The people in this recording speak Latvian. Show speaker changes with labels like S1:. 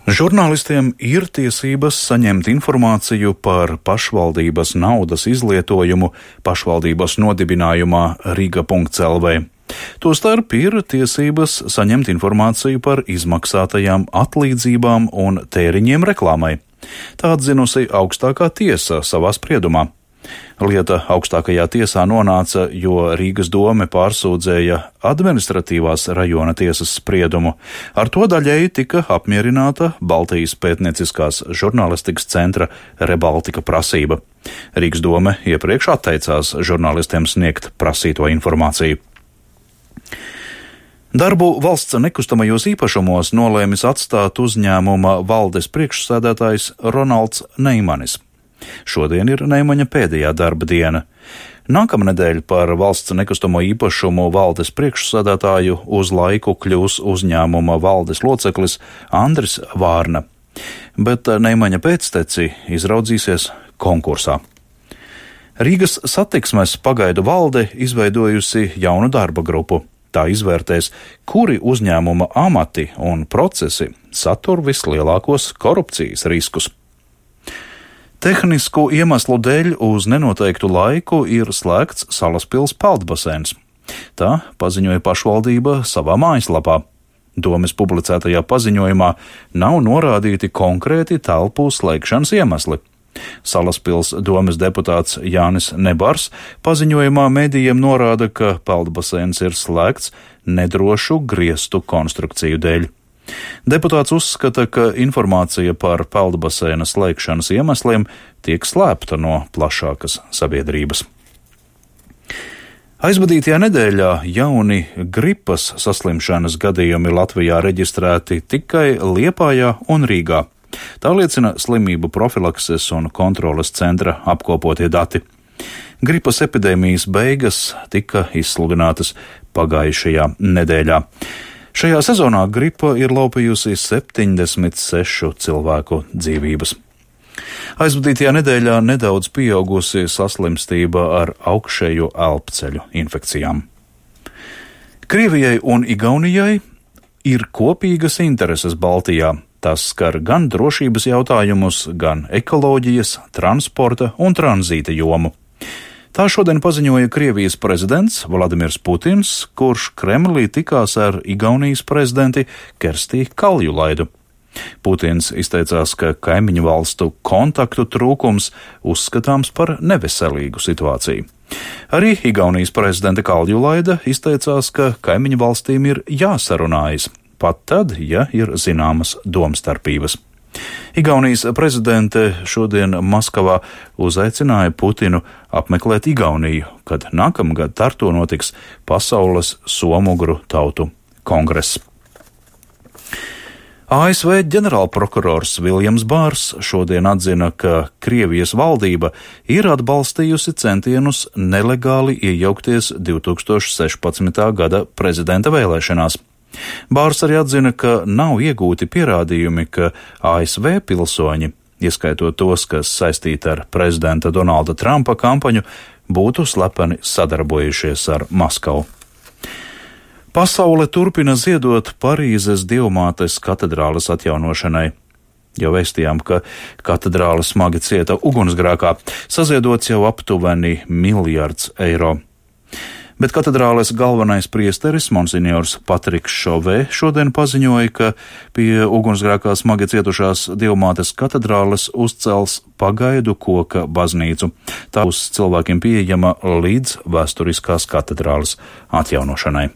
S1: Žurnālistiem ir tiesības saņemt informāciju par pašvaldības naudas izlietojumu pašvaldības nodibinājumā Riga.lv. Tostarp ir tiesības saņemt informāciju par izmaksātajām atlīdzībām un tēriņiem reklāmai. Tā atzinusi augstākā tiesa savā spriedumā. Lieta augstākajā tiesā nonāca, jo Rīgas dome pārsūdzēja administratīvās rajona tiesas spriedumu. Ar to daļēji tika apmierināta Baltijas pētnieciskās žurnālistikas centra Rebaltika prasība. Rīgas dome iepriekš atteicās žurnālistiem sniegt prasīto informāciju. Darbu valsts nekustamajos īpašumos nolēmis atstāt uzņēmuma valdes priekšsēdētājs Ronalds Neimanis. Šodien ir Neimaņa pēdējā darba diena. Nākamnedēļ par valsts nekustamo īpašumu valdes priekšsēdētāju uz laiku kļūs uzņēmuma valdes loceklis Andris Vārna, bet Neimaņa pēcteci izraudzīsies konkursā. Rīgas satiksmes pagaidu valde izveidojusi jaunu darba grupu. Tā izvērtēs, kuri uzņēmuma amati un procesi satur vislielākos korupcijas riskus. Tehnisku iemeslu dēļ uz nenoteiktu laiku ir slēgts Salaspils peldbaseins. Tā paziņoja pašvaldība savā mājaslapā. Domes publicētajā paziņojumā nav norādīti konkrēti telpu slēgšanas iemesli. Salaspils domes deputāts Jānis Nebars paziņojumā medijiem norāda, ka peldbaseins ir slēgts nedrošu griestu konstrukciju dēļ. Deputāts uzskata, ka informācija par peldbaseina slēgšanas iemesliem tiek slēpta no plašākas sabiedrības. Aizvadītajā nedēļā jauni gripas saslimšanas gadījumi Latvijā reģistrēti tikai Liepājā un Rīgā. Tā liecina slimību profilakses un kontroles centra apkopotie dati. Gripas epidēmijas beigas tika izsludinātas pagājušajā nedēļā. Šajā sezonā gripa ir laupījusi 76 cilvēku dzīvības. Aizvadītajā nedēļā nedaudz pieaugusi saslimstība ar augšējo elpceļu infekcijām. Krievijai un Igaunijai ir kopīgas intereses Baltijā. Tas skar gan drošības jautājumus, gan ekoloģijas, transporta un tranzīta jomu. Tā šodien paziņoja Krievijas prezidents Vladimirs Putins, kurš Kremlī tikās ar Igaunijas prezidenti Kerstī Kaljulaidu. Putins izteicās, ka kaimiņu valstu kontaktu trūkums uzskatāms par neveselīgu situāciju. Arī Igaunijas prezidente Kaljulaida izteicās, ka kaimiņu valstīm ir jāsarunājas, pat tad, ja ir zināmas domstarpības. Igaunijas prezidente šodien Maskavā uzaicināja Putinu apmeklēt Igauniju, kad nākamgad Tartu notiks Pasaules somugru tautu kongress. ASV ģenerālprokurors Viljams Bārs šodien atzina, ka Krievijas valdība ir atbalstījusi centienus nelegāli iejaukties 2016. gada prezidenta vēlēšanās. Bārs arī atzina, ka nav iegūti pierādījumi, ka ASV pilsoņi, ieskaitot tos, kas saistīti ar prezidenta Donalda Trumpa kampaņu, būtu slepeni sadarbojušies ar Maskavu. Pasaule turpina ziedot Parīzes Dievmātes katedrāles atjaunošanai. Jau vēstījām, ka katedrāle smagi cieta ugunsgrēkā, saziedots jau aptuveni 1 miljards eiro. Bet katedrāles galvenais priesteris monsignors Patriks Šovē šodien paziņoja, ka pie ugunsgrēkā smagi cietušās Dievmātes katedrāles uzcels pagaidu koka baznīcu. Tā būs cilvēkiem pieejama līdz vēsturiskās katedrāles atjaunošanai.